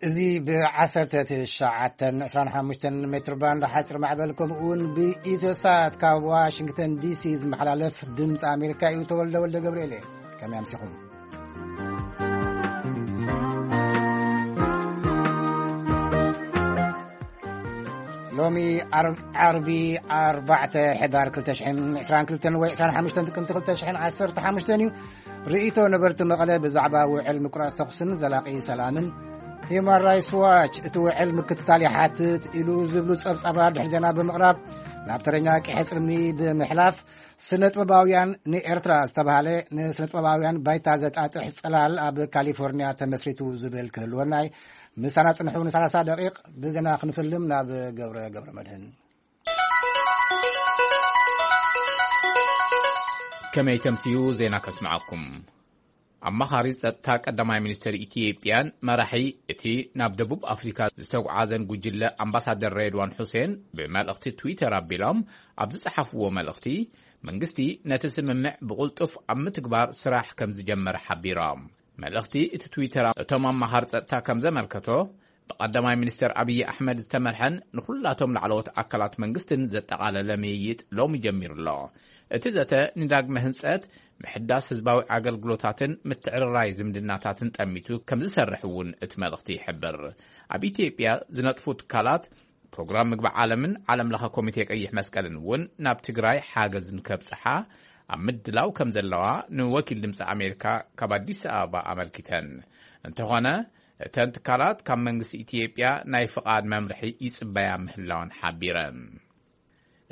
እዚ ብ1925 ሜትር ባንድ ሓፂር ማዕበል ከምኡ እውን ብኢትዮሳት ካብ ዋሽንግተን ዲሲ ዝመሓላለፍ ድምፂ ኣሜሪካ እዩ። ተወልደ ወልደ ገብርኤል እየ። ከመይ ኣምሲኹም? ሎሚ ዓር- ዓርቢ ኣርባዕተ ሕዳር ክልተ ሽሕን ዕስራን ክልተን ወይ ዕስራን ሓሙሽተን ጥቅምቲ ክልተ ሽሕን ዓሰርተ ሓሙሽተን እዩ። ርእይቶ ነበርቲ መቐለ ብዛዕባ ውዕል ምቁራፅ ተኹስን ዘላቒ ሰላምን፣ ሂዩማን ራይትስ ዋች እቲ ውዕል ምክትታል ይሓትት ኢሉ ዝብሉ ጸብጻባት ድሕሪ ዜና ብምቕራብ፣ ናብ ተረኛ ቀይሕ ጽልሚ ብምሕላፍ፣ ስነ ጥበባውያን ንኤርትራ ዝተባህለ ንስነ ጥበባውያን ባይታ ዘጣጥሕ ጽላል ኣብ ካሊፎርኒያ ተመስሪቱ ዝብል ክህልወና እዩ። ምሳና ጽንሑ ን30 ደቂቕ ብዜና ክንፍልም ናብ ገብረ ገብረ መድህን። ከመይ ተምስዩ ዜና ከስምዓኩም። ኣማኻሪ ጸጥታ ቀዳማይ ሚኒስትር ኢትዮጵያን መራሒ እቲ ናብ ደቡብ ኣፍሪካ ዝተጓዓዘን ጉጅለ ኣምባሳደር ሬድዋን ሑሴን ብመልእኽቲ ትዊተር ኣቢሎም ኣብ ዝጸሓፍዎ መልእኽቲ፣ መንግስቲ ነቲ ስምምዕ ብቕልጡፍ ኣብ ምትግባር ስራሕ ከም ዝጀመረ ሓቢሮም። መልእኽቲ እቲ ትዊተር እቶም ኣማኻሪ ጸጥታ ከም ዘመልከቶ፣ ብቐዳማይ ሚኒስትር ኣብይ ኣሕመድ ዝተመርሐን ንኹላቶም ላዕለዎት ኣካላት መንግስትን ዘጠቓለለ ምይይጥ ሎሚ ጀሚሩ ኣሎ። እቲ ዘተ ንዳግመ ህንጸት፣ ምሕዳስ ህዝባዊ ኣገልግሎታትን ምትዕርራይ ዝምድናታትን ጠሚቱ ከም ዝሰርሕ እውን እቲ መልእኽቲ ይሕብር። ኣብ ኢትዮጵያ ዝነጥፉ ትካላት ፕሮግራም ምግቢ ዓለምን ዓለም ለኸ ኮሚቴ ቀይሕ መስቀልን እውን ናብ ትግራይ ሓገዝ ንከብጽሓ ኣብ ምድላው ከም ዘለዋ ንወኪል ድምፂ ኣሜሪካ ካብ ኣዲስ ኣበባ ኣመልኪተን። እንተኾነ፣ እተን ትካላት ካብ መንግስቲ ኢትዮጵያ ናይ ፍቓድ መምርሒ ይጽበያ ምህላወን ሓቢረን።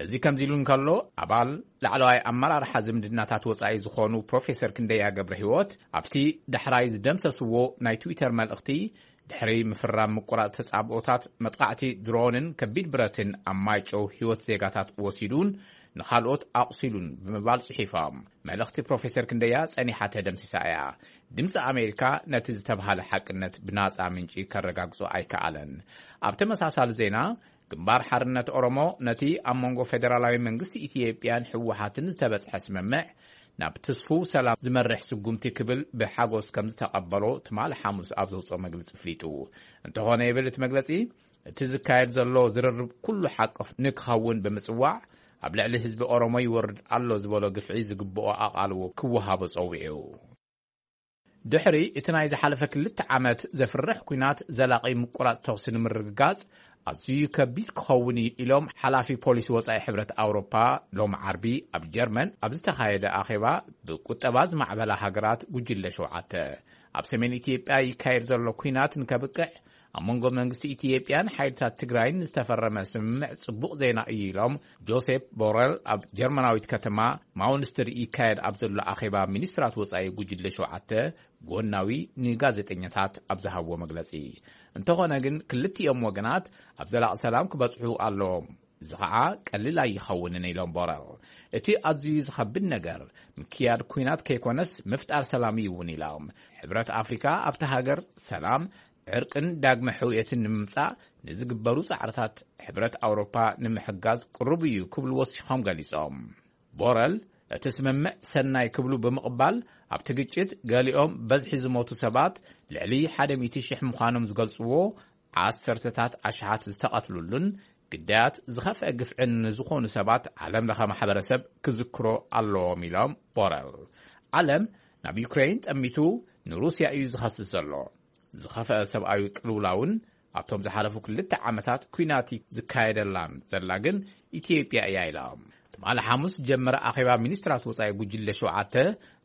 እዚ ከምዚ ኢሉ እንከሎ፣ ኣባል ላዕለዋይ ኣመራርሓ ዝምድናታት ወጻኢ ዝኾኑ ፕሮፌሰር ክንደያ ገብረ ህይወት ኣብቲ ዳሕራይ ዝደምሰስዎ ናይ ትዊተር መልእኽቲ፣ ድሕሪ ምፍራም ምቁራጽ ተጻብኦታት፣ መጥቃዕቲ ድሮንን ከቢድ ብረትን ኣብ ማይጨው ህይወት ዜጋታት ወሲዱን ንኻልኦት ኣቑሲሉን ብምባል ጽሒፎም። መልእኽቲ ፕሮፌሰር ክንደያ ጸኒሓ ተደምሲሳ እያ። ድምፂ ኣሜሪካ ነቲ ዝተብሃለ ሓቅነት ብናጻ ምንጪ ከረጋግጾ ኣይከኣለን። ኣብ ተመሳሳሊ ዜና፣ ግንባር ሓርነት ኦሮሞ ነቲ ኣብ መንጎ ፌደራላዊ መንግስቲ ኢትዮጵያን ህወሓትን ዝተበጽሐ ስምምዕ ናብ ትስፉው ሰላም ዝመርሕ ስጉምቲ ክብል ብሓጎስ ከም ዝተቐበሎ ትማሊ ሓሙስ ኣብ ዘውፅኦ መግለጺ ኣፍሊጡ። እንተኾነ ይብል እቲ መግለጺ፣ እቲ ዝካየድ ዘሎ ዝርርብ ኩሉ ሓቆፍ ንክኸውን ብምጽዋዕ፣ ኣብ ልዕሊ ህዝቢ ኦሮሞ ይወርድ ኣሎ ዝበሎ ግፍዒ ዝግብኦ ኣቓልቦ ክወሃቦ ጸዊዑ። ድሕሪ እቲ ናይ ዝሓለፈ ክልተ ዓመት ዘፍርሕ ኲናት፣ ዘላቒ ምቁራጽ ተኹሲ ንምርግጋጽ ኣዝዩ ከቢድ ክኸውን እዩ ኢሎም ሓላፊ ፖሊሲ ወጻኢ ሕብረት ኣውሮፓ። ሎሚ ዓርቢ ኣብ ጀርመን ኣብ ዝተኻየደ ኣኼባ ብቁጠባ ዝማዕበላ ሃገራት ጉጅለ ሸውዓተ፣ ኣብ ሰሜን ኢትዮጵያ ይካየድ ዘሎ ኲናት ንከብቅዕ ኣብ መንጎ መንግስቲ ኢትዮጵያን ሓይልታት ትግራይን ዝተፈረመ ስምምዕ ጽቡቕ ዜና እዩ ኢሎም ጆሴፕ ቦረል ኣብ ጀርመናዊት ከተማ ማውንስትር ይካየድ ኣብ ዘሎ ኣኼባ ሚኒስትራት ወጻኢ ጉጅለ ሸውዓተ ጎናዊ ንጋዜጠኛታት ኣብ ዝሃብዎ መግለጺ። እንተኾነ ግን ክልቲኦም ወገናት ኣብ ዘላቒ ሰላም ክበጽሑ ኣለዎም። እዚ ኸዓ ቀሊል ኣይኸውንን ኢሎም ቦረል። እቲ ኣዝዩ ዝኸብድ ነገር ምክያድ ኲናት ከይኮነስ ምፍጣር ሰላም እዩ እውን ኢሎም። ሕብረት ኣፍሪካ ኣብቲ ሃገር ሰላም፣ ዕርቅን ዳግመ ሕውየትን ንምምጻእ ንዝግበሩ ጻዕርታት ሕብረት ኣውሮፓ ንምሕጋዝ ቅሩብ እዩ ክብሉ ወሲኾም ገሊጾም። ቦረል እቲ ስምምዕ ሰናይ ክብሉ ብምቕባል፣ ኣብቲ ግጭት ገሊኦም በዝሒ ዝሞቱ ሰባት ልዕሊ ሓደ ሚእቲ ሽሕ ምዃኖም ዝገልጽዎ፣ ዓሰርተታት ኣሽሓት ዝተቐትሉሉን ግዳያት ዝኸፍአ ግፍዕን ንዝኾኑ ሰባት ዓለም ለኸ ማሕበረሰብ ክዝክሮ ኣለዎም ኢሎም ቦረል። ዓለም ናብ ዩክሬን ጠሚቱ ንሩስያ እዩ ዝኸስስ ዘሎ። ዝኸፍአ ሰብኣዊ ቅልውላውን ኣብቶም ዝሓለፉ ክልተ ዓመታት ኲናት ዝካየደላን ዘላ ግን ኢትዮጵያ እያ ኢሎም። ትማሊ ሓሙስ ጀመረ ኣኼባ ሚኒስትራት ወጻኢ ጉጅለ ሸውዓተ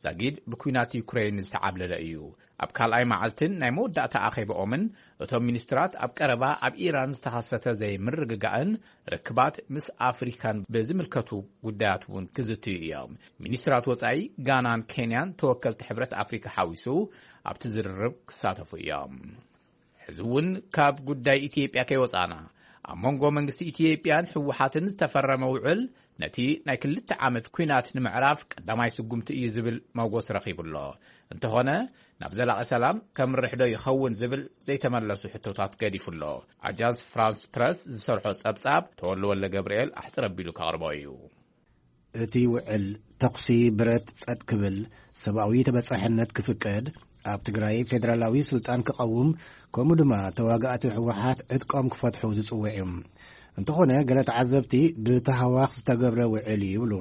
ዛጊድ ብኲናት ዩክሬን ዝተዓብለለ እዩ። ኣብ ካልኣይ መዓልትን ናይ መወዳእታ ኣኼባኦምን እቶም ሚኒስትራት ኣብ ቀረባ ኣብ ኢራን ዝተኸሰተ ዘይምርግጋእን ርክባት ምስ ኣፍሪካን ብዝምልከቱ ጉዳያት እውን ክዝትዩ እዮም። ሚኒስትራት ወጻኢ ጋናን ኬንያን ተወከልቲ ሕብረት ኣፍሪካ ሓዊሱ ኣብቲ ዝርርብ ክሳተፉ እዮም። ሕዚ እውን ካብ ጉዳይ ኢትዮጵያ ከይወጻና፣ ኣብ መንጎ መንግስቲ ኢትዮጵያን ህወሓትን ዝተፈረመ ውዕል ነቲ ናይ ክልተ ዓመት ኲናት ንምዕራፍ ቀዳማይ ስጉምቲ እዩ ዝብል መጎስ ረኺቡ ኣሎ። እንተኾነ፣ ናብ ዘላቒ ሰላም ከምርሕ ዶ ይኸውን ዝብል ዘይተመለሱ ሕቶታት ገዲፉ ኣሎ። ኣጃንስ ፍራንስ ፕረስ ዝሰርሖ ጸብጻብ ተወልደ ወልደ ገብርኤል ኣሕጽር ኣቢሉ ከቕርቦ እዩ። እቲ ውዕል ተኹሲ ብረት ጸጥ ክብል፣ ሰብኣዊ ተበጻሕነት ክፍቀድ፣ ኣብ ትግራይ ፌደራላዊ ስልጣን ክቐውም፣ ከምኡ ድማ ተዋጋእቲ ህወሓት ዕጥቆም ክፈትሑ ዝጽውዕ እዩ። እንተኾነ፣ ገለ ተዓዘብቲ ብተሃዋኽ ዝተገብረ ውዕል እዩ ይብሉ።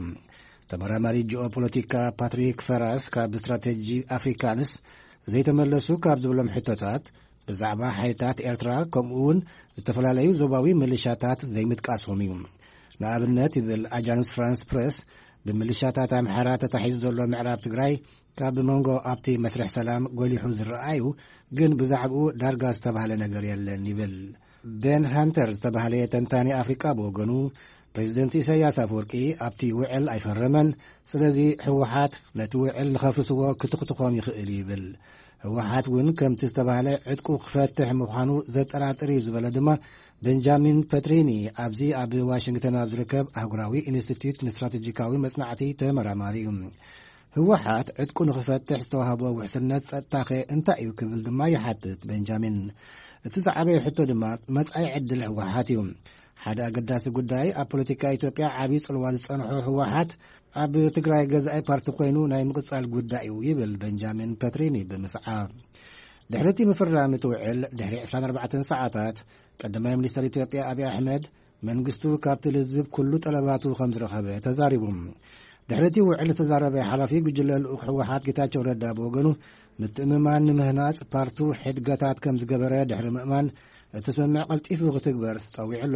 ተመራማሪ ጂኦፖለቲካ ፓትሪክ ፈራስ ካብ ስትራቴጂ ኣፍሪካንስ ዘይተመለሱ ካብ ዝብሎም ሕቶታት፣ ብዛዕባ ሓይልታት ኤርትራ ከምኡ እውን ዝተፈላለዩ ዞባዊ ምልሻታት ዘይምጥቃሶም እዩ። ንኣብነት ይብል ኣጃንስ ፍራንስ ፕረስ፣ ብምልሻታት ኣምሓራ ተታሒዙ ዘሎ ምዕራብ ትግራይ ካብ መንጎ ኣብቲ መስርሕ ሰላም ጎሊሑ ዝረኣዩ፣ ግን ብዛዕባኡ ዳርጋ ዝተባህለ ነገር የለን ይብል። ቤን ሃንተር ዝተባህለ ተንታኒ ኣፍሪቃ ብወገኑ፣ ፕሬዚደንት ኢሳያስ ኣፈወርቂ ኣብቲ ውዕል ኣይፈረመን፣ ስለዚ ህወሓት ነቲ ውዕል ንኸፍርስዎ ክትኹትኾም ይኽእል እዩ ይብል። ህወሓት እውን ከምቲ ዝተባህለ ዕጥቁ ክፈትሕ ምዃኑ ዘጠራጥር እዩ ዝበለ ድማ ቤንጃሚን ፐትሪኒ፣ ኣብዚ ኣብ ዋሽንግተን ኣብ ዝርከብ ኣህጉራዊ ኢንስቲትዩት ንስትራቴጂካዊ መጽናዕቲ ተመራማሪ እዩ። ህወሓት ዕጥቁ ንኽፈትሕ ዝተዋህቦ ውሕስነት ጸጥታኸ እንታይ እዩ ክብል ድማ ይሓትት ቤንጃሚን። እቲ ዝዓበየ ሕቶ ድማ መጻኢ ዕድል ህወሓት እዩ። ሓደ ኣገዳሲ ጉዳይ፣ ኣብ ፖለቲካ ኢትዮጵያ ዓቢ ጽልዋ ዝጸንሖ ህወሓት ኣብ ትግራይ ገዛኢ ፓርቲ ኮይኑ ናይ ምቕጻል ጉዳይ እዩ ይብል ቤንጃሚን ፐትሪኒ ብምስዓብ። ድሕሪ እቲ ምፍራም እቲ ውዕል፣ ድሕሪ ዕስራን ኣርባዕተን ሰዓታት፣ ቀዳማይ ሚኒስተር ኢትዮጵያ ኣብይ ኣሕመድ መንግስቱ ካብቲ ልዝብ ኩሉ ጠለባቱ ከም ዝረኸበ ተዛሪቡ። ድሕሪ እቲ ውዕል ዝተዛረበ ሓላፊ ጉጅለ ልኡኽ ህወሓት ጌታቸው ረዳ ብወገኑ፣ ምትእምማን ንምህናጽ ፓርቱ ሕድገታት ከም ዝገበረ ድሕሪ ምእማን፣ እቲ ስምምዕ ቀልጢፉ ክትግበር ጸዊዑ ኣሎ።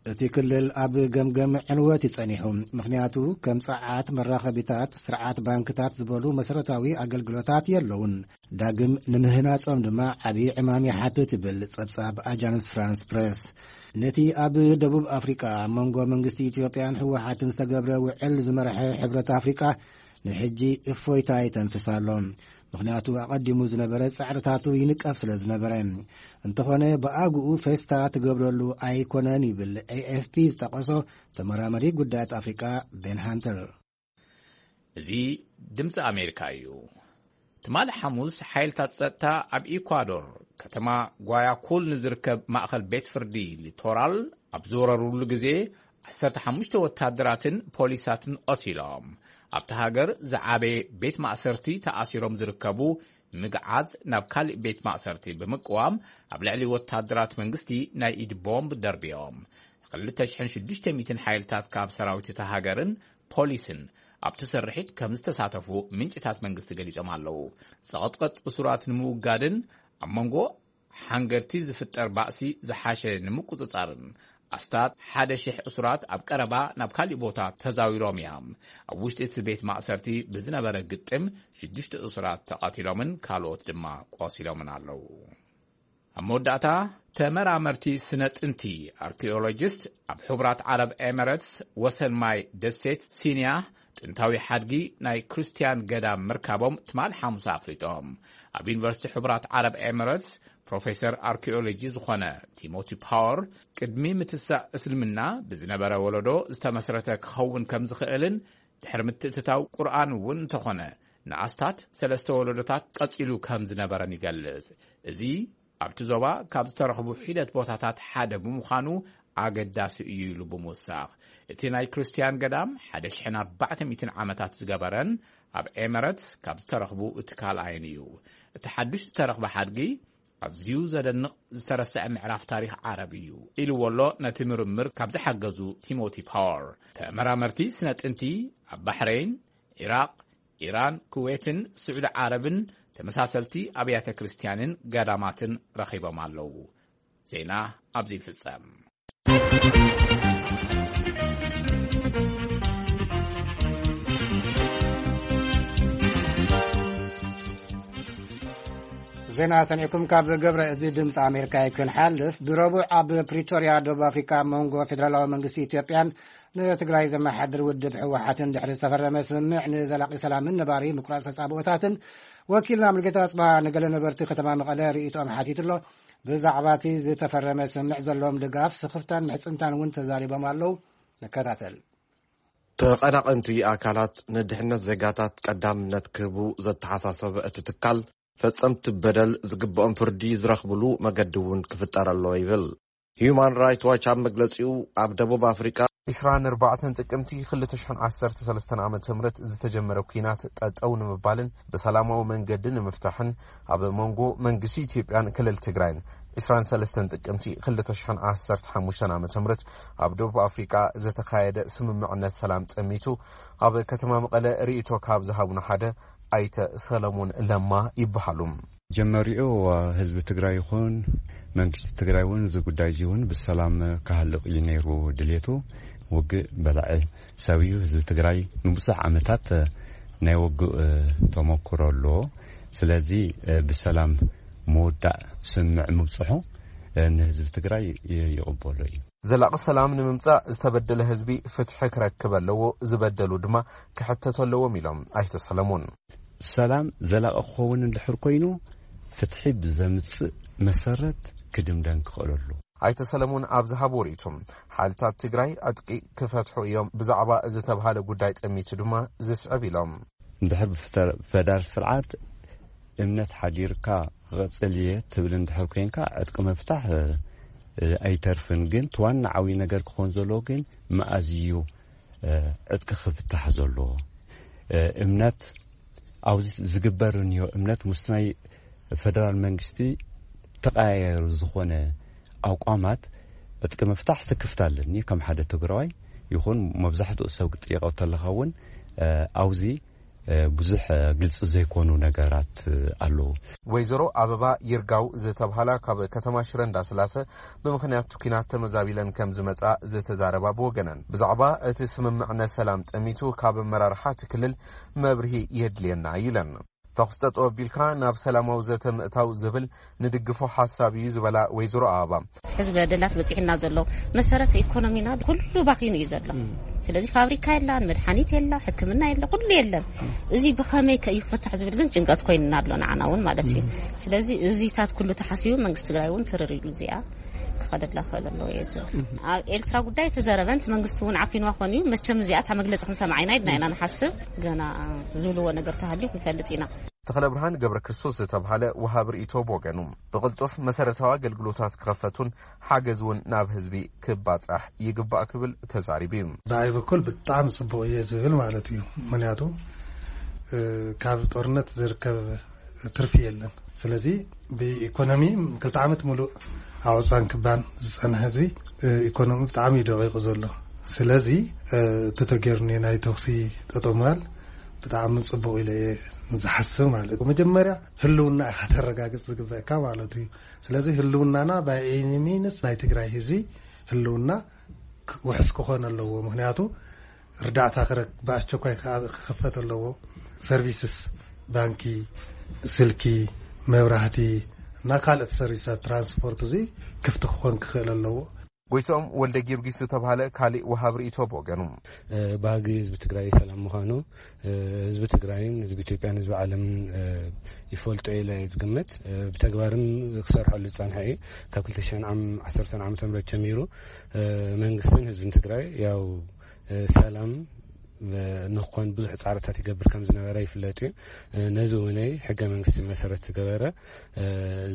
እቲ ክልል ኣብ ገምገም ዕንወት እዩ ጸኒሑ። ምኽንያቱ፣ ከም ጸዓት፣ መራኸቢታት፣ ስርዓት ባንክታት ዝበሉ መሰረታዊ ኣገልግሎታት የለውን። ዳግም ንምህናጾም ድማ ዓቢ ዕማም ይሓትት ይብል ጸብጻብ ኣጃንስ ፍራንስ ፕረስ። ነቲ ኣብ ደቡብ ኣፍሪቃ ኣብ መንጎ መንግስቲ ኢትዮጵያን ህወሓትን ዝተገብረ ውዕል ዝመርሐ ሕብረት ኣፍሪቃ፣ ንሕጂ እፎይታ ይተንፍስ ኣሎ። ምኽንያቱ፣ ኣቐዲሙ ዝነበረ ጻዕርታቱ ይንቀፍ ስለ ዝነበረ። እንተኾነ፣ ብኣግኡ ፌስታ ትገብረሉ ኣይኮነን ይብል ኤ ኤፍ ፒ ዝጠቐሶ ተመራመሪ ጉዳያት ኣፍሪቃ ቤን ሃንተር። እዚ ድምፂ ኣሜሪካ እዩ። ትማሊ ሓሙስ፣ ሓይልታት ጸጥታ ኣብ ኢኳዶር ከተማ ጓያኩል ንዝርከብ ማእኸል ቤት ፍርዲ ሊቶራል ኣብ ዝወረሩሉ ግዜ፣ ዓሰርተ ሓሙሽተ ወታደራትን ፖሊሳትን ቆሲሎም። ኣብቲ ሃገር ዝዓበየ ቤት ማእሰርቲ ተኣሲሮም ዝርከቡ ምግዓዝ ናብ ካሊእ ቤት ማእሰርቲ ብምቅዋም፣ ኣብ ልዕሊ ወታደራት መንግስቲ ናይ ኢድ ቦምብ ደርብዮም። ክልተ ሽሕን ሽዱሽተ ሚእትን ሓይልታት ካብ ሰራዊት እታ ሃገርን ፖሊስን ኣብቲ ስርሒት ከም ዝተሳተፉ ምንጭታት መንግስቲ ገሊጾም ኣለዉ። ጸቕጥቕጥ እሱራት ንምውጋድን ኣብ መንጎ ሓንገድቲ ዝፍጠር ባእሲ ዝሓሸ ንምቁጽጻርን፣ ኣስታት ሓደ ሽሕ እሱራት ኣብ ቀረባ ናብ ካሊእ ቦታ ተዛዊሮም እዮም። ኣብ ውሽጢ እቲ ቤት ማእሰርቲ ብዝነበረ ግጥም፣ ሽዱሽተ እሱራት ተቐቲሎምን ካልኦት ድማ ቆሲሎምን ኣለዉ። ኣብ መወዳእታ፣ ተመራመርቲ ስነ ጥንቲ፣ ኣርኪኦሎጂስት፣ ኣብ ሕቡራት ዓረብ ኤሚሬትስ ወሰን ማይ ደሴት ሲንያ ጥንታዊ ሓድጊ ናይ ክርስትያን ገዳም ምርካቦም ትማል ሓሙስ ኣፍሊጦም። ኣብ ዩኒቨርሲቲ ሕቡራት ዓረብ ኤሚሬትስ ፕሮፌሰር ኣርኪኦሎጂ ዝኾነ ቲሞቲ ፓወር፣ ቅድሚ ምትሳእ እስልምና ብዝነበረ ወለዶ ዝተመስረተ ክኸውን ከም ዝኽእልን፣ ድሕሪ ምትእትታው ቁርኣን እውን እንተኾነ፣ ንኣስታት ሰለስተ ወለዶታት ቀጺሉ ከም ዝነበረን ይገልጽ። እዚ ኣብቲ ዞባ ካብ ዝተረኽቡ ሒደት ቦታታት ሓደ ብምዃኑ ኣገዳሲ እዩ ኢሉ ብምውሳኽ፣ እቲ ናይ ክርስትያን ገዳም ሓደ ሽሕን ኣርባዕተ ሚእትን ዓመታት ዝገበረን ኣብ ኤመረትስ ካብ ዝተረኽቡ እቲ ካልኣይን እዩ። እቲ ሓድሽ ዝተረኽበ ሓድጊ ኣዝዩ ዘደንቕ ዝተረስዐ ምዕራፍ ታሪኽ ዓረብ እዩ ኢልዎ ኣሎ ነቲ ምርምር ካብ ዝሓገዙ ቲሞቲ ፓወር። ተመራመርቲ ስነ ጥንቲ ኣብ ባሕረይን፣ ዒራቕ፣ ኢራን፣ ኩዌትን ስዑዲ ዓረብን ተመሳሰልቲ ኣብያተ ክርስትያንን ገዳማትን ረኺቦም ኣለዉ። ዜና ኣብዚ ይፍጸም። ዜና ሰሚዕኩም ካብ ገብረ እዚ ድምፂ ኣሜሪካ እዩ ክንሓልፍ። ብረቡዕ ኣብ ፕሪቶርያ ደቡብ ኣፍሪካ ኣብ መንጎ ፌደራላዊ መንግስቲ ኢትዮጵያን ንትግራይ ዘመሓድር ውድብ ህወሓትን ድሕሪ ዝተፈረመ ስምምዕ ንዘላቂ ሰላምን ነባሪ ምቁራፅ ተፃብኦታትን፣ ወኪልና ሙልጌታ ኣፅባ ንገለ ነበርቲ ከተማ መቐለ ርእይቶኦም ሓቲቱ ኣሎ። ብዛዕባ እቲ ዝተፈረመ ስምምዕ ዘለዎም ድጋፍ፣ ስኽፍታን ምሕፅንታን እውን ተዛሪቦም ኣለዉ። ንከታተል። ተቐናቐንቲ ኣካላት ንድሕነት ዜጋታት ቀዳምነት ክህቡ ዘተሓሳሰበ እቲ ትካል፣ ፈጸምቲ በደል ዝግብኦም ፍርዲ ዝረኽብሉ መገዲ እውን ክፍጠር ኣለዎ ይብል። ሂዩማን ራይት ዋች ኣብ መግለጺኡ፣ ኣብ ደቡብ ኣፍሪቃ ዕስራን ኣርባዕተን ጥቅምቲ ክልተ ሽሕን ዓሰርተ ሰለስተን ዓመተ ምህረት ዝተጀመረ ኲናት ጠጠው ንምባልን ብሰላማዊ መንገዲ ንምፍታሕን ኣብ መንጎ መንግስቲ ኢትዮጵያን ክልል ትግራይን ዕስራን ሰለስተን ጥቅምቲ ክልተ ሽሕን ዓሰርተ ሓሙሽተን ዓመተ ምህረት ኣብ ደቡብ ኣፍሪቃ ዝተኻየደ ስምምዕነት ሰላም ጠሚቱ ኣብ ከተማ መቐለ ርእይቶ ካብ ዝሃቡና ሓደ ኣይተ ሰለሙን ለማ ይበሃሉ። ጀመሪኡ ህዝቢ ትግራይ ይኹን መንግስቲ ትግራይ እውን እዚ ጉዳይ እዚ እውን ብሰላም ክሃልቕ እዩ ነይሩ ድሌቱ። ውግእ በላዒ ሰብ እዩ። ህዝቢ ትግራይ ንብዙሕ ዓመታት ናይ ውግእ ተመክሮ ኣለዎ። ስለዚ ብሰላም ምውዳእ ስምምዕ ምብፅሑ ንህዝቢ ትግራይ ይቕበሎ እዩ። ዘላቒ ሰላም ንምምጻእ ዝተበደለ ህዝቢ ፍትሒ ክረክብ ኣለዎ፣ ዝበደሉ ድማ ክሕተቱ ኣለዎም ኢሎም ኣይተ ሰለሙን። ሰላም ዘላቒ ክኸውን እንድሕር ኮይኑ ፍትሒ ብዘምፅእ መሰረት ክድምደም ክኽእል ኣለዎ። ኣይተ ሰለሙን ኣብ ዝሃብዎ ርእይቶ፣ ሓይልታት ትግራይ ዕጥቂ ክፈትሑ እዮም ብዛዕባ ዝተብሃለ ጉዳይ ጠሚቱ ድማ ዝስዕብ ኢሎም። እንድሕር ብፈደራል ስርዓት እምነት ሓዲርካ ክቐፅል እየ ትብል እንድሕር ኮይንካ ዕጥቂ ምፍታሕ ኣይተርፍን። ግን እቲ ዋና ዓብዪ ነገር ክኾን ዘለዎ ግን መኣዝ እዩ ዕጥቂ ክፍታሕ ዘለዎ? እምነት ኣብዚ ዝግበር እንዮ እምነት ምስ ናይ ፈደራል መንግስቲ ተቐያየሩ ዝኾነ ኣቋማት ዕጥቂ ምፍታሕ ስክፍታ ኣለኒ። ከም ሓደ ትግራዋይ ይኹን መብዛሕትኡ ሰብ ክጥየቀው ተለኻ እውን ኣብዚ ብዙሕ ግልፂ ዘይኮኑ ነገራት ኣለዉ። ወይዘሮ ኣበባ ይርጋው ዝተብሃላ ካብ ከተማ ሽረ እንዳስላሰ ብምኽንያት ኲናት ተመዛቢለን ከም ዝመፃ ዝተዛረባ ብወገነን ብዛዕባ እቲ ስምምዕነት ሰላም ጠሚቱ ካብ ኣመራርሓ እቲ ክልል መብርሂ የድልየና እዩ ኢለን። ተኹስ ጠጠው ኣቢልካ ናብ ሰላማዊ ዘተ ምእታው ዝብል ንድግፎ ሓሳብ እዩ ዝበላ ወይዘሮ ኣበባ። ሕዚ በደላት በፂሕና ዘሎ መሰረት ኢኮኖሚና ኩሉ ባኪኑ እዩ ዘሎ። ስለዚ ፋብሪካ የላን፣ መድሓኒት የላ፣ ሕክምና የለ፣ ኩሉ የለን። እዚ ብኸመይ ከ እዩ ክፍታሕ ዝብል ግን ጭንቀት ኮይንና ኣሎ ንዓና እውን ማለት እዩ። ስለዚ እዚታት ኩሉ ተሓሲቡ መንግስቲ ትግራይ እውን ትርር ኢሉ እዚኣ ክኸደላ ክኽእል ኣለዎ እየ ዝብል። ኣብ ኤርትራ ጉዳይ ተዘረበ፣ እቲ መንግስቲ እውን ዓፊንዋ ኮን እዩ። መቸም እዚኣ እታ መግለፂ ክንሰምዓ ኢና ኢልና ኢና ንሓስብ። ገና ዝብልዎ ነገር ተሃልዩ ክንፈልጥ ኢና። ተኽለብርሃን ገብረክርስቶስ ዝተብሃለ ወሃቢ ርእይቶ ብወገኑ፣ ብቕልጡፍ መሰረታዊ ኣገልግሎታት ክኸፈቱን ሓገዝ እውን ናብ ህዝቢ ክባጻሕ ይግባእ ክብል ተዛሪቡ እዩ። ብኣይ በኩል ብጣዕሚ ጽቡቕ እየ ዝብል ማለት እዩ። ምክንያቱ ካብ ጦርነት ዝርከብ ትርፊ የለን። ስለዚ ብኢኮኖሚ ክልተ ዓመት ሙሉእ ኣዕፃን ክባን ዝፀንሐ ህዝቢ ኢኮኖሚ ብጣዕሚ እዩ ደቂቁ ዘሎ። ስለዚ እቲ ተገይሩ ናይ ተኩሲ ጠጠው ምባል ብጣዕሚ ፅቡቅ ኢለ እየ ዝሓስብ ማለት እዩ። መጀመርያ ህልውና ኢካ ተረጋግፅ ዝግበእካ ማለት እዩ። ስለዚ ህልውናና ባይ ኤኒ ሚንስ ናይ ትግራይ ህዝቢ ህልውና ውሕስ ክኾን ኣለዎ። ምክንያቱ ርዳእታ ክረክ ብኣስቸኳይ ክኸፈት ኣለዎ። ሰርቪስስ ባንኪ፣ ስልኪ፣ መብራህቲ እና ካልኦት ሰርቪሳት ትራንስፖርት እዚ ክፍቲ ክኾን ክኽእል ኣለዎ። ጎይትኦም ወልደ ጊዮርጊስ ዝተባህለ ካሊእ ወሃብ ርእይቶ ብወገኑ፣ ባህጊ ህዝቢ ትግራይ ሰላም ምዃኑ ህዝቢ ትግራይን ህዝቢ ኢትዮጵያን ህዝቢ ዓለምን ይፈልጦ ኢለ እየ ዝግምት። ብተግባርም ክሰርሐሉ ዝፀንሐ እዩ። ካብ ክልተ ሽሕን ዓሰርተን ዓመተ ምህረት ጀሚሩ መንግስትን ህዝብን ትግራይ ያው ሰላም ንክኾን ብዙሕ ፃዕርታት ይገብር ከም ዝነበረ ይፍለጥ እዩ። ነዚ እውን ሕገ መንግስቲ መሰረት ዝገበረ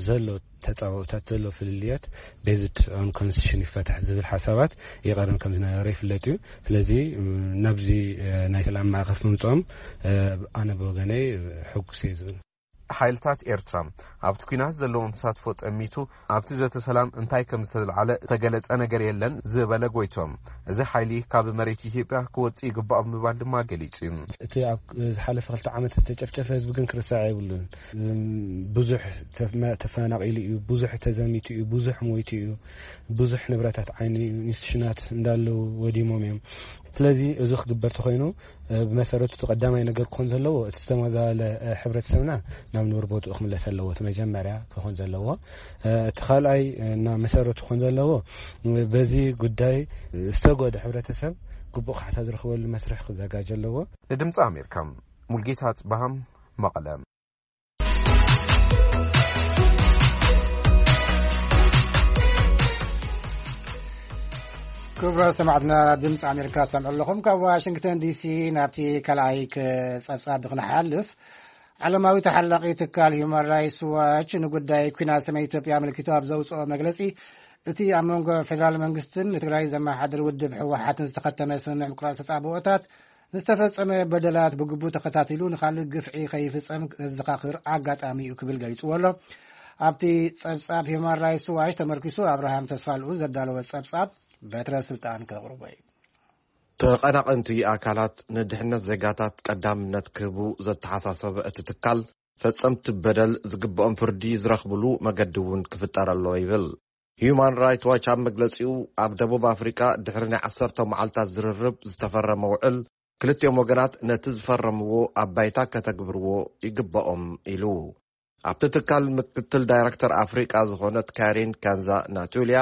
ዘሎ ተፃባኦታት ዘሎ ፍልልያት based on constitution ይፈታሕ ዝብል ሓሳባት ይቐርም ከም ዝነበረ ይፍለጥ እዩ። ስለዚ ናብዚ ናይ ሰላም ማዕኸፍ ምምፅኦም ኣነ ብወገነይ ሕጉስ እየ ዝብል። ሓይልታት ኤርትራ ኣብቲ ኲናት ዘለዎም ተሳትፎ ጠሚቱ ኣብቲ ዘተ ሰላም እንታይ ከም ዝተልዓለ ዝተገለጸ ነገር የለን ዝበለ ጎይቶም፣ እዚ ሓይሊ ካብ መሬት ኢትዮጵያ ክወጽእ ይግባእ ብምባል ድማ ገሊጹ እዩ። እቲ ኣብ ዝሓለፈ ክልተ ዓመት ዝተጨፍጨፈ ህዝቢ ግን ክርሳዕ የብሉን። ብዙሕ ተፈናቂሉ እዩ፣ ብዙሕ ተዘሚቱ እዩ፣ ብዙሕ ሞይቱ እዩ፣ ብዙሕ ንብረታት ዓይኒ ኢንስቲቱሽናት እንዳለው ወዲሞም እዮም። ስለዚ እዚ ክግበር ተኮይኑ ብመሰረቱ እቲ ቀዳማይ ነገር ክኾን ዘለዎ እቲ ዝተመዛበለ ሕብረተሰብና ናብ ንቡር ቦትኡ ክምለስ ኣለዎ። እቲ መጀመርያ ክኾን ዘለዎ እቲ ካልኣይ እና መሰረቱ ክኾን ዘለዎ በዚ ጉዳይ ዝተጎደ ሕብረተሰብ ግቡእ ካሕሳ ዝረኽበሉ መስርሕ ክዘጋጀ ኣለዎ። ንድምፂ ኣሜሪካ ሙልጌታ ኣፅበሃ መቐለ። ክቡራት ሰማዕትና ድምፂ ኣሜሪካ ሰምዑ ኣለኹም ካብ ዋሽንግተን ዲሲ። ናብቲ ካልኣይ ጸብጻብ ክንሓልፍ ዓለማዊ ተሓላቒ ትካል ሁማን ራይትስ ዋች ንጉዳይ ኩናት ሰሜን ኢትዮጵያ ኣመልኪቱ ኣብ ዘውፅኦ መግለፂ እቲ ኣብ መንጎ ፌደራል መንግስትን ንትግራይ ዘመሓድር ውድብ ህወሓትን ዝተኸተመ ስምምዕ ምቁራፅ ተፃብኦታት ዝተፈጸመ በደላት ብግቡእ ተኸታቲሉ ንኻልእ ግፍዒ ከይፍጸም ዘዘኻኽር ኣጋጣሚ እዩ ክብል ገሊጽዎ ኣሎ። ኣብቲ ጸብጻብ ሂውማን ራይትስ ዋች ተመርኪሱ ኣብርሃም ተስፋልኡ ዘዳለወ ጸብጻብ በትረ ስልጣን ከቕርቦ እዩ። ተቐናቐንቲ ኣካላት ንድሕነት ዜጋታት ቀዳምነት ክህቡ ዘተሓሳሰበ እቲ ትካል፣ ፈጸምቲ በደል ዝግብኦም ፍርዲ ዝረኽብሉ መገዲ እውን ክፍጠር ኣለዎ ይብል። ሂዩማን ራይት ዋች ኣብ መግለጺኡ፣ ኣብ ደቡብ ኣፍሪቃ ድሕሪ ናይ ዓሰርተ መዓልታት ዝርርብ ዝተፈረመ ውዕል፣ ክልቲኦም ወገናት ነቲ ዝፈረምዎ ኣብ ባይታ ከተግብርዎ ይግበኦም ኢሉ። ኣብቲ ትካል ምክትል ዳይረክተር ኣፍሪቃ ዝኾነት ካሪን ካንዛ ናቱልያ፣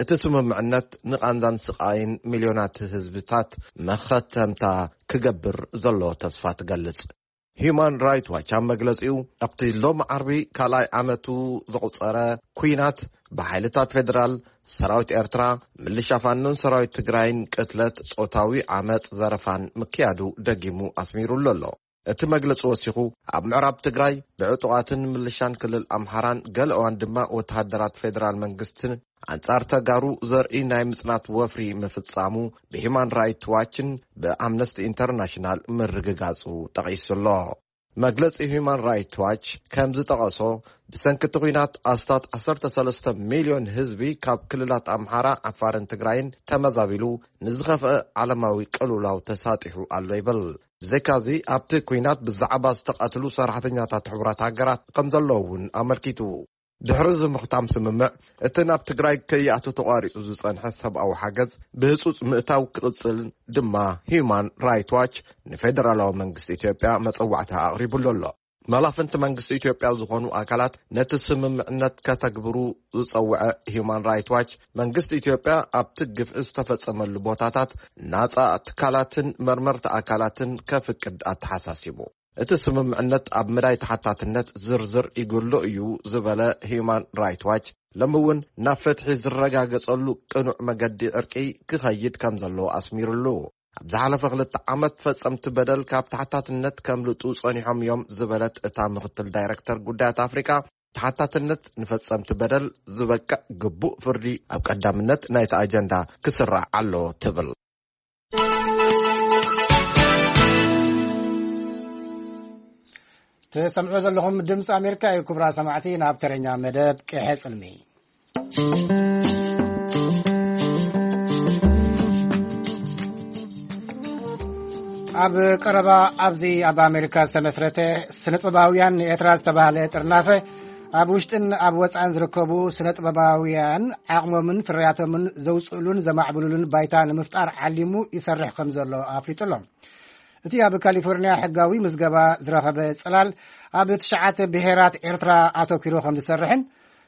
እቲ ስምምዕነት ንቓንዛን ስቓይን ሚልዮናት ህዝብታት መኸተምታ ክገብር ዘሎ ተስፋ ትገልጽ። ሂዩማን ራይት ዋች ኣብ መግለጺኡ፣ ኣብቲ ሎም ዓርቢ ካልኣይ ዓመቱ ዘቑጸረ ኲናት፣ ብሓይልታት ፌደራል፣ ሰራዊት ኤርትራ፣ ምልሻ ፋኖን ሰራዊት ትግራይን ቅትለት፣ ጾታዊ ዓመጽ፣ ዘረፋን ምክያዱ ደጊሙ ኣስሚሩሉ ኣሎ። እቲ መግለጺ ወሲኹ፣ ኣብ ምዕራብ ትግራይ ብዕጡቓትን ምልሻን ክልል ኣምሓራን ገለ እዋን ድማ ወተሃደራት ፌደራል መንግስትን ኣንጻር ተጋሩ ዘርኢ ናይ ምጽናት ወፍሪ ምፍጻሙ ብሂማን ራይት ዋችን ብኣምነስቲ ኢንተርናሽናል ምርግጋጹ ጠቒሱ ኣሎ። መግለጺ ሂማን ራይት ዋች ከም ዝጠቐሶ፣ ብሰንኪ እቲ ኲናት ኣስታት ዓሰርተ ሰለስተ ሚልዮን ህዝቢ ካብ ክልላት ኣምሓራ፣ ዓፋርን ትግራይን ተመዛቢሉ ንዝኸፍአ ዓለማዊ ቅልውላው ተሳጢሑ ኣሎ ይብል። ብዘይካዚ፣ ኣብቲ ኲናት ብዛዕባ ዝተቐትሉ ሰራሕተኛታት ሕቡራት ሃገራት ከም ዘለዉ እውን ኣመልኪቱ። ድሕሪ እዚ ምኽታም ስምምዕ፣ እቲ ናብ ትግራይ ከይኣቱ ተቋሪጹ ዝጸንሐ ሰብኣዊ ሓገዝ ብህጹጽ ምእታው ክቕጽል ድማ ሂዩማን ራይት ዋች ንፌደራላዊ መንግስቲ ኢትዮጵያ መጸዋዕታ ኣቕሪቡሉ ኣሎ። መላፍንቲ መንግስቲ ኢትዮጵያ ዝኾኑ ኣካላት ነቲ ስምምዕነት ከተግብሩ ዝጸውዐ ሂዩማን ራይት ዋች፣ መንግስቲ ኢትዮጵያ ኣብቲ ግፍዒ ዝተፈጸመሉ ቦታታት ናጻ ትካላትን መርመርቲ ኣካላትን ከፍቅድ ኣተሓሳሲቡ። እቲ ስምምዕነት ኣብ መዳይ ተሓታትነት ዝርዝር ይጉሎ እዩ ዝበለ ሂዩማን ራይት ዋች፣ ሎሚ እውን ናብ ፍትሒ ዝረጋገጸሉ ቅኑዕ መገዲ ዕርቂ ክኸይድ ከም ዘለዎ ኣስሚሩሉ። ኣብ ዝሓለፈ ክልተ ዓመት ፈጸምቲ በደል ካብ ተሓታትነት ከምልጡ ጸኒሖም እዮም ዝበለት እታ ምኽትል ዳይረክተር ጉዳያት ኣፍሪቃ፣ ተሓታትነት ንፈጸምቲ በደል ዝበቅዕ ግቡእ ፍርዲ ኣብ ቀዳምነት ናይቲ ኣጀንዳ ክስራዕ ኣለዎ ትብል። ትሰምዑ ዘለኹም ድምፂ ኣሜሪካ እዩ። ክቡራት ሰማዕቲ፣ ናብ ተረኛ መደብ ቅሐ ጽልሚ። ኣብ ቀረባ ኣብዚ ኣብ ኣሜሪካ ዝተመስረተ ስነጥበባውያን ንኤርትራ ዝተባህለ ጥርናፈ፣ ኣብ ውሽጥን ኣብ ወጻእን ዝርከቡ ስነጥበባውያን ዓቕሞምን ፍርያቶምን ዘውጽእሉን ዘማዕብሉሉን ባይታ ንምፍጣር ዓሊሙ ይሰርሕ ከም ዘሎ ኣፍሊጡ ኣሎ። እቲ ኣብ ካሊፎርኒያ ሕጋዊ ምዝገባ ዝረኸበ ጽላል፣ ኣብ ትሽዓተ ብሄራት ኤርትራ ኣተኲሩ ከም ዝሰርሕን፣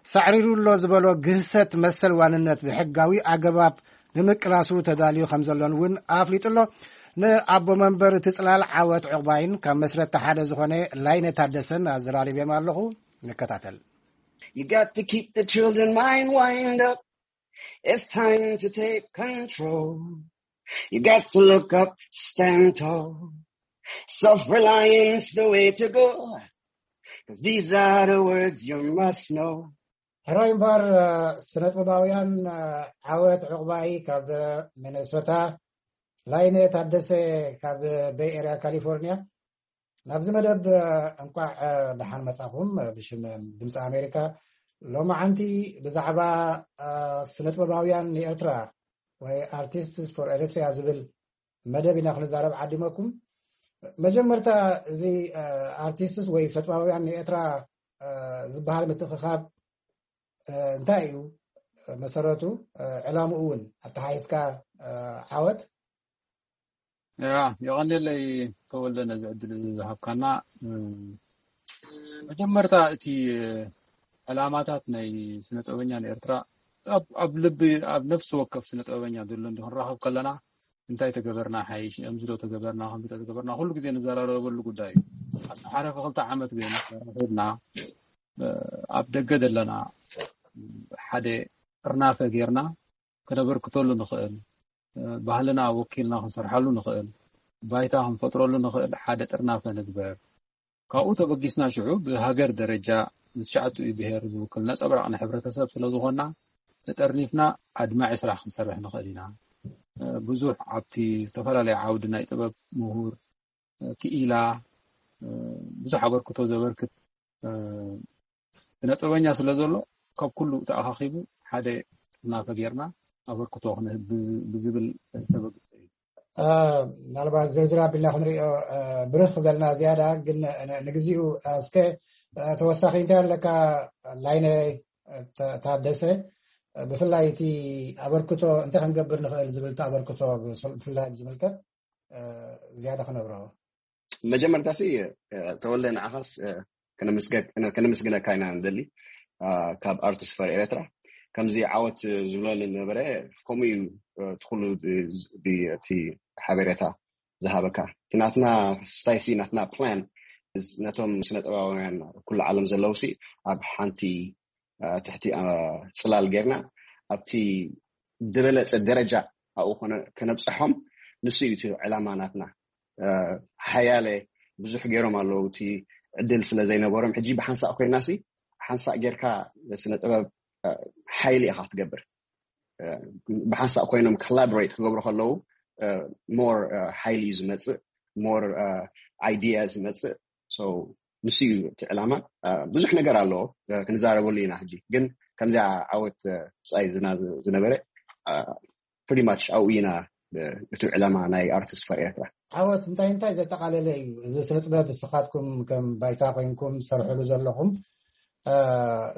ሳዕሪሩ ኣሎ ዝበሎ ግህሰት መሰል ዋንነት ብሕጋዊ ኣገባብ ንምቅላሱ ተዳልዩ ከም ዘሎን እውን ኣፍሊጡ ኣሎ። ንኣቦ መንበር እቲ ጽላል ዓወት ዕቑባይን ካብ መስረቲ ሓደ ዝኾነ ላይነ ታደሰን ኣዘራሪበዮም ኣለኹ። ንከታተል። You got to keep the children mind wind up. It's time to take control. You got to look up, stand tall. Self-reliance the way to go. 'Cause these are the words you must know. ሕራይ እምበኣር፣ ስነ ጥበባውያን ዓወት ዕቑባይ ካብ ሚነሶታ፣ ላይነ ታደሰ ካብ ቤይ ኤርያ ካሊፎርኒያ። ናብዚ መደብ እንቋዕ ደሓን መጻኹም። ብሽም ድምፂ ኣሜሪካ፣ ሎማዓንቲ ብዛዕባ ስነ ጥበባውያን ንኤርትራ ወይ ኣርቲስትስ ፎር ኤሪትሪያ ዝብል መደብ ኢና ክንዛረብ ዓዲመኩም። መጀመርታ፣ እዚ ኣርቲስትስ ወይ ሰጥባውያን ንኤርትራ ዝበሃል ምትእኽኻብ እንታይ እዩ መሰረቱ? ዕላምኡ እውን ኣተሓሒዝካ ዓወት። ያ፣ የቐንየለይ ተወልደ፣ ነዚ ዕድል እዚ ዝሃብካና። መጀመርታ፣ እቲ ዕላማታት ናይ ስነ ጥበበኛ ንኤርትራ ኣብ፣ ኣብ ልቢ፣ ኣብ ነፍሲ ወከፍ ስነ ጥበበኛ ዘሎ እንዲ ክንራኸብ ከለና፣ እንታይ ተገበርና ሓይሽ፣ ከምዚ ዶ ተገበርና፣ ከምዚ ዶ ተገበርና፣ ኩሉ ግዜ ንዘራረበሉ ጉዳይ እዩ። ኣብቲ ሓለፈ ክልተ ዓመት ግን ተራኺብና፣ ኣብ ደገ ዘለና ሓደ ጥርናፈ ጌርና፣ ከነበርክተሉ ንኽእል፣ ባህልና ወኪልና ክንሰርሓሉ ንኽእል፣ ባይታ ክንፈጥረሉ ንኽእል ሓደ ጥርናፈ ንግበር። ካብኡ ተበጊስና ሽዑ ብሃገር ደረጃ ንትሽዓቲኡ ብሄር ዝውክል ነጸብራቕ ንሕብረተሰብ ስለ ዝኾንና፣ ተጠርኒፍና ኣድማዒ ስራሕ ክንሰርሕ ንኽእል ኢና። ብዙሕ ኣብቲ ዝተፈላለየ ዓውዲ ናይ ጥበብ ምሁር፣ ክኢላ፣ ብዙሕ ኣበርክቶ ዘበርክት ስነ ጥበበኛ ስለ ዘሎ፣ ካብ ኩሉ ተኣኻኺቡ ሓደ ጥርናፈ ጌርና ኣበርክቶ ክንህብ ብዝብል ዝተበግሰ እዩ። ምናልባት ዝርዝር ኣቢልና ክንሪኦ ብርኽ ክብለልና ዝያዳ፣ ግን ንግዚኡ እስከ ተወሳኺ እንታይ ኣለካ ላይነ ታደሰ? ብፍላይ እቲ ኣበርክቶ እንታይ ክንገብር ንኽእል ዝብል፣ እቲ ኣበርክቶ ብፍላይ ዝምልከት ዝያዳ ክነብሮ። መጀመርታ ሲ ተወልደ፣ ንዓኻስ ከነመስገነካ ኢና ንደሊ። ካብ ኣርቲስት ፈር ኤርትራ ከምዚ ዓወት ዝብለሉ ነበረ። ከምኡ እዩ እቲ ኩሉ እቲ ሓበሬታ ዝሃበካ። ናትና ስታይሲ ናትና ፕላን ነቶም ስነ ጥበባውያን ኩሉ ዓለም ዘለውሲ ኣብ ሓንቲ ትሕቲ ጽላል ጌርና ኣብቲ ዝበለጸ ደረጃ ኣብኡ ከነብፅሖም ንሱ እዩ እቲ ዕላማ ናትና። ሓያለ ብዙሕ ገይሮም ኣለዉ። እቲ ዕድል ስለ ዘይነበሮም፣ ሕጂ ብሓንሳእ ኮይና ሲ ሓንሳእ ጌርካ ስነ ጥበብ ሓይሊ ኢኻ ትገብር። ብሓንሳእ ኮይኖም ኮላቦሬት ክገብሩ ከለዉ ሞር ሓይሊ እዩ ዝመፅእ፣ ሞር ኣይዲያ ዝመፅእ። ንሱ እዩ እቲ ዕላማ። ብዙሕ ነገር ኣለዎ ክንዛረበሉ ኢና። ሕጂ ግን ከምዚኣ ዓወት ብፃይ ዝና ዝነበረ ፕሪማች ኣብኡ ኢና እቲ ዕላማ ናይ ኣርቲስት ፈር ኤርትራ። ዓወት እንታይ እንታይ ዘጠቃለለ እዩ? እዚ ስነ ጥበብ ንስኻትኩም ከም ባይታ ኮይንኩም ትሰርሕሉ ዘለኹም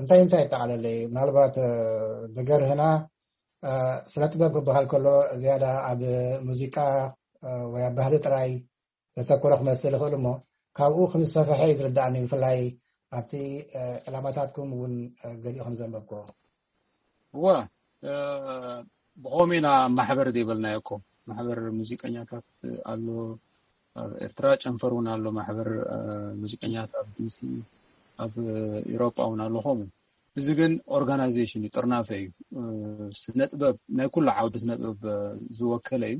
እንታይ እንታይ የጠቃለለ እዩ? ምናልባት ብገርህና ስነ ጥበብ ክበሃል ከሎ ዝያዳ ኣብ ሙዚቃ ወይ ኣብ ባህሊ ጥራይ ዘተኮረ ክመስል ይኽእል እሞ ካብኡ ከም ዝሰፈሐ እዩ ዝርዳእኒ። ብፍላይ ኣብቲ ዕላማታትኩም እውን ገሊኡ ከም ዘንበብክዎ። እወ፣ ብኸምኡ ኢና ማሕበር ዘይበልናዮ እኮ። ማሕበር ሙዚቀኛታት ኣሎ ኣብ ኤርትራ፣ ጨንፈር እውን ኣሎ ማሕበር ሙዚቀኛት ኣብ ዲሲ፣ ኣብ ኢሮጳ እውን ኣሎ ከምኡ። እዚ ግን ኦርጋናይዜሽን እዩ፣ ጥርናፈ እዩ። ስነ ጥበብ ናይ ኩሉ ዓውዲ ስነ ጥበብ ዝወከለ እዩ።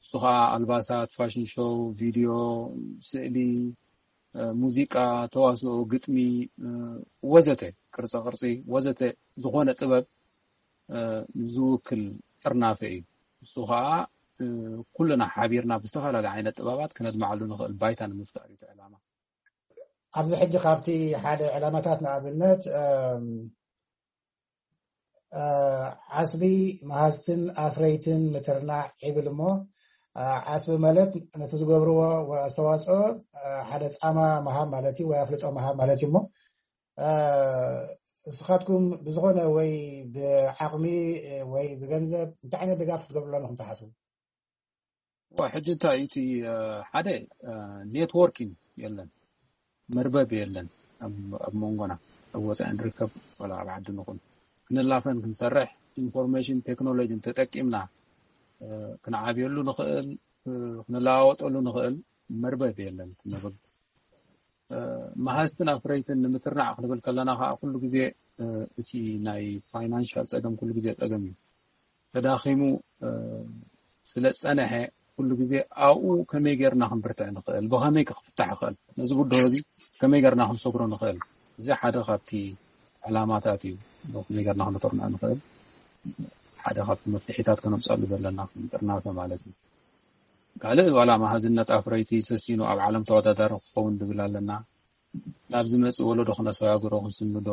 እሱ ከዓ ኣልባሳት፣ ፋሽን ሾው፣ ቪድዮ፣ ስእሊ፣ ሙዚቃ፣ ተዋስኦ፣ ግጥሚ ወዘተ፣ ቅርፃ ቅርፂ ወዘተ ዝኾነ ጥበብ ዝውክል ጥርናፈ እዩ። እሱ ከዓ ኩልና ሓቢርና ብዝተፈላለየ ዓይነት ጥበባት ክነድምዓሉ ንኽእል ባይታ ንምፍጣር እዩ እቲ ዕላማ። ኣብዚ ሕጂ ካብቲ ሓደ ዕላማታት ንኣብነት ዓስቢ መሃዝትን ኣፍረይትን ምትርናዕ ይብል እሞ ዓስቢ ማለት ነቲ ዝገብርዎ ኣስተዋፅኦ ሓደ ፃማ ምሃብ ማለት እዩ ወይ ኣፍልጦ ምሃብ ማለት እዩ እሞ ንስኻትኩም ብዝኾነ ወይ ብዓቕሚ ወይ ብገንዘብ እንታይ ዓይነት ድጋፍ ክትገብሩ ኣለኹም ትሓስቡ? ሕጂ እንታይ እዩ እቲ ሓደ ኔትወርኪንግ የለን፣ መርበብ የለን ኣብ መንጎና ኣብ ወፃኢ ንርከብ ወላ ኣብ ዓዲ ንኹን ክንላፈን ክንሰርሕ ኢንፎርሜሽን ቴክኖሎጂን ተጠቂምና ክንዓብየሉ ንኽእል ክንለዋወጠሉ ንኽእል መርበብ የለን። መበግስ መሃዝትን ኣፍረይትን ንምትርናዕ ክንብል ከለና ከዓ ኩሉ ግዜ እቲ ናይ ፋይናንሻል ፀገም ኩሉ ግዜ ፀገም እዩ። ተዳኺሙ ስለ ዝፀነሐ ኩሉ ግዜ ኣብኡ ከመይ ጌርና ክንብርትዕ ንኽእል፣ ብኸመይ ክፍታሕ ይኽእል፣ ነዚ ብድሆ እዚ ከመይ ጌርና ክንሰግሮ ንኽእል፣ እዚ ሓደ ካብቲ ዕላማታት እዩ። ከመይ ጌርና ክንተርንዖ ንኽእል ሓደ ካብቲ መፍትሒታት ከነምፀሉ ዘለና ጥርናፈ ማለት እዩ። ካልእ ዋላ መሃዝነት ኣፍረይቲ ሰሲኑ ኣብ ዓለም ተወዳዳሪ ክኸውን ድብል ኣለና። ናብ ዝመፅእ ወለዶ ክነሰጋግሮ ክንስንዶ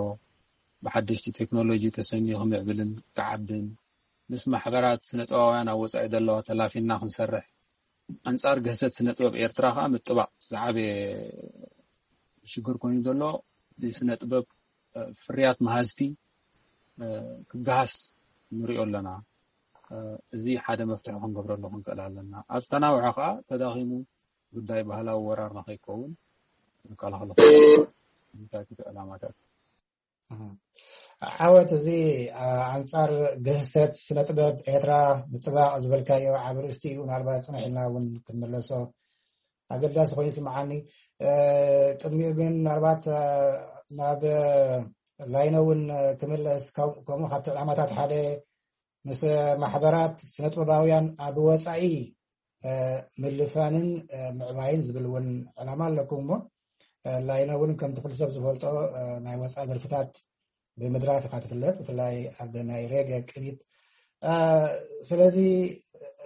ብሓደሽቲ ቴክኖሎጂ ተሰንዩ ክምዕብልን ክዓብን ምስ ማሕበራት ስነ ጥበባውያን ኣብ ወፃኢ ዘለዋ ተላፊና ክንሰርሕ ኣንፃር ግህሰት ስነ ጥበብ ኤርትራ ከዓ ምጥባቕ ዝዓበየ ሽግር ኮይኑ ዘሎ እዚ ስነ ጥበብ ፍርያት መሃዝቲ ክገሃስ ንሪኦ ኣለና። እዚ ሓደ መፍትሒ ክንገብረሉ ክንክእል ኣለና። ኣብ ዝተናውሐ ከዓ ተዳኺሙ ጉዳይ ባህላዊ ወራር ንኸይከውን ንከላኸል ዕላማታት። ዓወት እዚ ኣንፃር ግህሰት ስነ ጥበብ ኤርትራ ምጥባቕ ዝበልካዮ ዓብ ርእስቲ እዩ። ምናልባት ፅንሕ ኢልና እውን ክንመለሶ ኣገዳሲ ኮይኑ ይስምዓኒ። ቅድሚኡ ግን ምናልባት ናብ ላይነ እውን ክምለስ፣ ከምኡ ካብቲ ዕላማታት ሓደ ምስ ማሕበራት ስነጥበባውያን ኣብ ወፃኢ ምልፋንን ምዕባይን ዝብል እውን ዕላማ ኣለኩም እሞ ላይነ እውን ከምቲ ኩሉ ሰብ ዝፈልጦ ናይ ወፃኢ ደርፍታት ብምድራፍ ኢኻ ትፍለጥ፣ ብፍላይ ኣብ ናይ ሬገ ቅኒት። እ፣ ስለዚ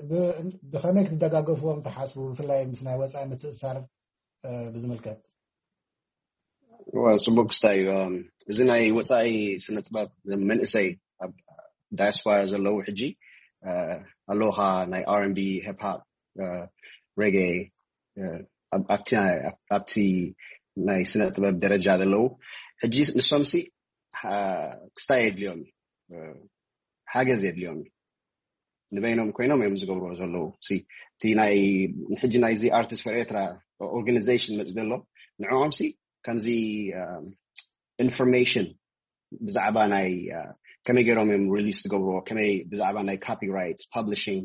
ብ-፣ ብኸመይ ክትደጋገፍዎም ትሓስቡ፣ ብፍላይ ምስ ናይ ወፃኢ ምትእስሳር፣ እ፣ ብዝምልከት? ዋ፣ ጽቡቅ ክስታይ እዩ። እም፣ እዚ ናይ ወጻኢ ስነ ጥበብ መንእሰይ ኣብ ዳያስፖራ ዘለዉ ሕጂ፣ እ፣ ኣለውኻ ናይ R and B፣ ሂፕ ሆፕ፣ እ፣ ሬጌ፣ እ፣ ኣብ-፣ ኣብቲ ናይ፣ ኣብ-፣ ኣብቲ ናይ ስነ ጥበብ ደረጃ ዘለዉ ሕጂ ንሶምሲ፣ እ፣ ክስታይ የድልዮም እዩ። እ፣ ሓገዝ የድልዮም እዩ። ንበይኖም ኮይኖም እዮም ዝገብርዎ ዘለዉ። ሲ፣ እቲ ናይ፣ ሕጂ ናይዚ ኣርቲስት ፈር ኤርትራ ኦርጋናይዜሽን መጽእ ዘሎ፣ ንዕኦም ሲ ከምዚ፣ እ፣ ኢንፎርሜሽን ብዛዕባ ናይ፣ እ፣ ከመይ ገይሮም እዮም ሪሊስ ዝገብርዎ፣ ከመይ ብዛዕባ ናይ ኮፒራይት፣ ፐብሊሽንግ፣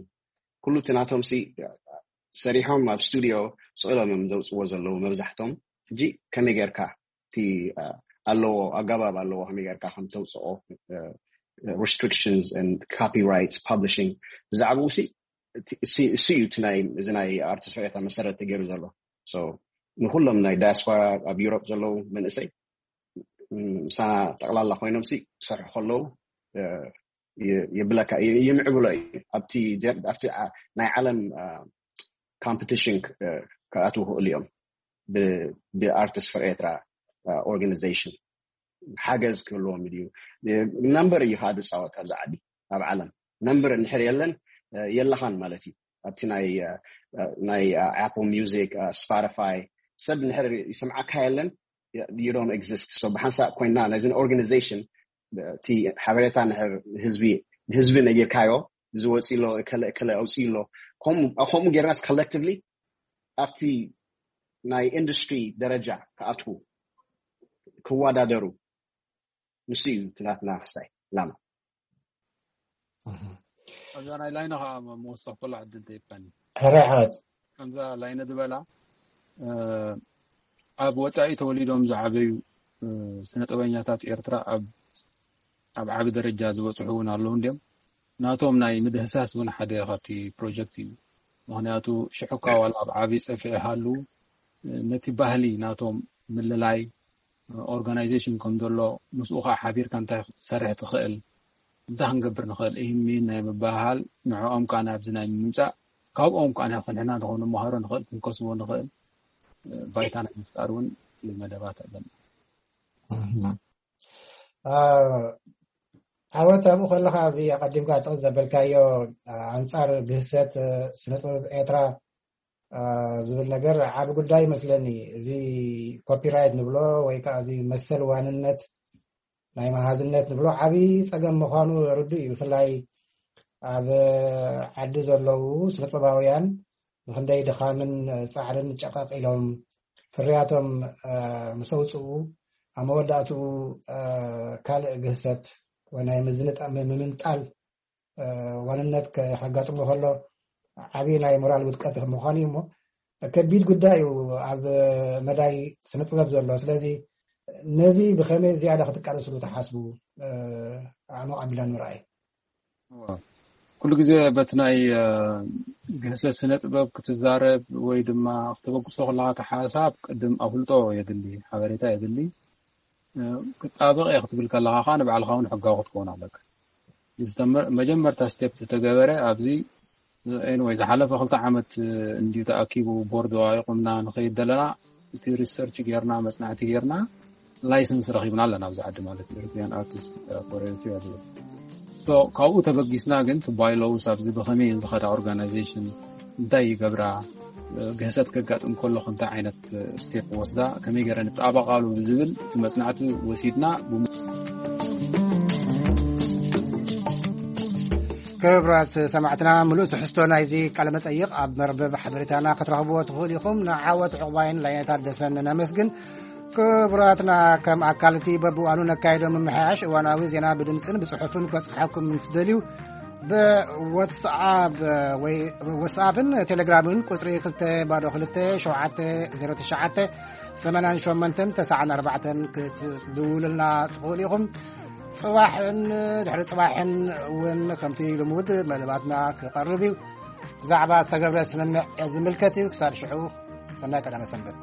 ኩሉ እቲ ናቶም ሲ፣ እ፣ ሰሪሖም ኣብ ስቱዲዮ ስቕ ኢሎም እዮም ዘውጽዎ ዘለዉ መብዛሕቶም። ሕጂ ከመይ ጌርካ እቲ፣ እ፣ ኣለዎ፣ ኣገባብ ኣለዎ፣ ከመይ ጌርካ ከም ተውጽኦ፣ እ፣ ሪስትሪክሽንስ ኤንድ ኮፒራይትስ ፐብሊሽንግ፣ ብዛዕባኡ ሲ፣ እቲ፣ እሱ፣ እሱ እዩ እቲ ናይ፣ እዚ ናይ ኣርቲስት ፈር ኤርትራ መሰረት ተገይሩ ዘሎ። ሶ፣ ንኩሎም ናይ ዳያስፖራ ኣብ ዩሮፕ ዘለዉ መንእሰይ፣ ም፣ ምሳና ጠቕላላ ኮይኖም ሲ ክሰርሑ ከለዉ፣ እ፣ ይ-፣ የብለካ፣ ይ-፣ ይምዕብሎ እዩ። ኣብቲ ጀ-፣ ኣብቲ ዓ-፣ ናይ ዓለም፣ እ፣ ኮምፒቲሽን ክ-፣ እ፣ ክኣትዉ ክእሉ እዮም። ብ-፣ ብኣርቲስት ፈር ኤርትራ፣ እ፣ ኦርጋናይዜሽን ሓገዝ ክህልዎም እዩ። ነምበር እዩ ከዓ ዝፃወት ኣብዚ ዓዲ፣ ኣብ ዓለም ነምበር እንድሕር የለን፣ እ፣ የለኻን ማለት እዩ። ኣብቲ ናይ፣ እ፣ እ፣ ናይ፣ እ፣ ኣፕል ሚውዚክ፣ እ፣ ስፖቲፋይ ሰብ እንድሕር ይሰምዓካ የለን፣ you don't exist። So ብሓንሳእ ኮይንና ነዚ ኦርጋናይዜሽን፣ እ፣ እቲ ሓበሬታ እንድሕር ህዝቢ፣ ህዝቢ ነጊርካዮ፣ እዚ ወፂ ኣሎ፣ እከለ፣ እከለ ኣውፂ ኣሎ፣ ከምኡ፣ ከምኡ ጌርናስ ኮሌክቲቭሊ ኣብቲ ናይ ኢንዱስትሪ ደረጃ ክኣትዉ፣ ክወዳደሩ፣ ንሱ እዩ እቲ ናትና ክስታይ ዕላማ። እህ። ኣብዛ ናይ ላይነ ከዓ መወሰኽ ከሎ ዕድል ተይብካኒ። ሕራይ ሓወት። ከምዛ ላይነ ዝበላ፣ እ፣ ኣብ ወፃኢ ተወሊዶም ዝዓበዩ፣ እ፣ ስነ ጥበበኛታት ኤርትራ ኣብ፣ ኣብ ዓቢ ደረጃ ዝበፅሑ እውን ኣለዉ እንድዮም። ናቶም ናይ ምድህሳስ እውን ሓደ ካብቲ ፕሮጀክት እዩ። ምኽንያቱ ሽሕኳ ዋላ ኣብ ዓቢ ፀፍዒ ሃሉ፣ እ፣ ነቲ ባህሊ ናቶም ምልላይ፣ ኦርጋናይዜሽን ከም ዘሎ፣ ምስኡ ከዓ ሓቢርካ እንታይ ክትሰርሕ ትኽእል፣ እንታይ ክንገብር ንኽእል፣ ይህን ሚን ናይ ምባሃል፣ ንዕኦም ከዓ ናብዚ ናይ ምምፃእ፣ ካብኦም ከዓ ንሕና ንኸው ንመሃሮ ንኽእል፣ ክንከስቦ ንኽእል፣ እ፣ ባይታ ናይ ምፍጣር እውን መደባት ኣለና። እህ። እ፣ ዓወት ኣብኡ ከለኻ፣ እዚ ኣቐዲምካ ጥቕስ ዘበልካዮ፣ እ፣ ኣንጻር ግህሰት፣ እ፣ ስነ ጥበብ ኤርትራ፣ እ፣ ዝብል ነገር ዓቢ ጉዳይ ይመስለኒ። እዚ ኮፒራይት ንብሎ ወይ ከዓ እዚ መሰል ዋንነት፣ ናይ መሃዝነት ንብሎ ዓቢ ጸገም ምዃኑ ርዱእ እዩ። ብፍላይ ኣብ ዓዲ ዘለዉ ስነ ጥበባውያን ብኽንደይ ድኻምን ጻዕርን ጨቐቕ ኢሎም፣ ፍርያቶም፣ እ፣ ምስ ኣውጽኡ፣ ኣብ መወዳእትኡ፣ እ፣ ካልእ ግህሰት ወይ ናይ ምዝንጣ-፣ ም-፣ ምምንጣል፣ እ፣ ዋንነት ከ-፣ ከጋጥሞ ከሎ ዓቢ ናይ ሞራል ውድቀት ምዃኑ እዩ። እሞ ከቢድ ጉዳይ እዩ ኣብ መዳይ ስነ ጥበብ ዘሎ። ስለዚ ነዚ ብኸመይ ዝያዳ ክትቃለስሉ ትሓስቡ? እ፣ ኣዕሙቕ ኣቢልና ንምርኣይ። እዋ፣ ኩሉ ግዜ በቲ ናይ፣ እ፣ ግህሰት ስነ ጥበብ ክትዛረብ ወይ ድማ ክተበግሶ ከለኻ፣ እቲ ሓሳብ ቅድም ኣፍልጦ የድሊ፣ ሓበሬታ የድሊ። እ፣ ክጣበቕ እየ ክትብል ከለኻ ከዓ ንባዕልኻ እውን ሕጋዊ ክትከውን ኣለካ። ዝተመ-፣ መጀመርታ ስቴፕ ዝተገበረ ኣብዚ፣ ኤኒወይ፣ ዝሓለፈ ክልተ ዓመት፣ እ፣ እንድዩ ተኣኪቡ፣ ቦርድ ወቂቑምና ንኸይድ ዘለና፣ እቲ ሪሰርች ጌርና፣ መጽናዕቲ ጌርና፣ ላይሰንስ ረኺብና ኣለና ኣብዚ ዓዲ፣ ማለት ኢሮፒያን ኣርቲስት፣ እ፣ ፎር ኤሪትሪያ ዝብል። ሶ፣ ካብኡ ተበጊስና ግን፣ እቲ ባይሎውስ ኣብዚ ብኸመይ እየን ዝኸዳ ኦርጋናይዜሽን፣ እንታይ ይገብራ፣ እ፣ ግህሰት ከጋጥም ከሎ እንታይ ዓይነት፣ እ፣ ስቴፕ ወስዳ፣ ከመይ ገይረን ይጣበቃሉ ብዝብል እቲ መጽናዕቲ ወሲድና፣ ብሙ-፣ ክቡራት ሰማዕትና፣ ምሉእ ትሕዝቶ ናይዚ ቃለ መጠይቕ ኣብ መርበብ ሓበሬታና ክትረኽብዎ ትኽእሉ ኢኹም። ንዓወት ዕቑባይን ላይነ ታደሰን ነመስግን። ክቡራትና፣ ከም ኣካል እቲ በብእዋኑ ነካይዶ ምምሕያሽ እዋናዊ ዜና ብድምፅን ብጽሑፍን ክበጽሓኩም እንትደልዩ፣ ብዋትስኣፕ ወይ ዋትስኣፕን ቴሌግራምን ቁጽሪ ክልተ ባዶ ክልተ ሸውዓተ ዜሮ ትሽዓተ ሰማንያን ሸሞንተን ተስዓን ኣርባዕተን ክትድውሉልና ትኽእሉ ኢኹም። ጽባሕን ድሕሪ ጽባሕን እውን ከምቲ ልሙድ መደባትና ክቐርብ እዩ። ብዛዕባ ዝተገብረ ስምምዕ ዝምልከት እዩ። ክሳብ ሽዑ፣ ሰናይ ቀዳመ ሰንበት።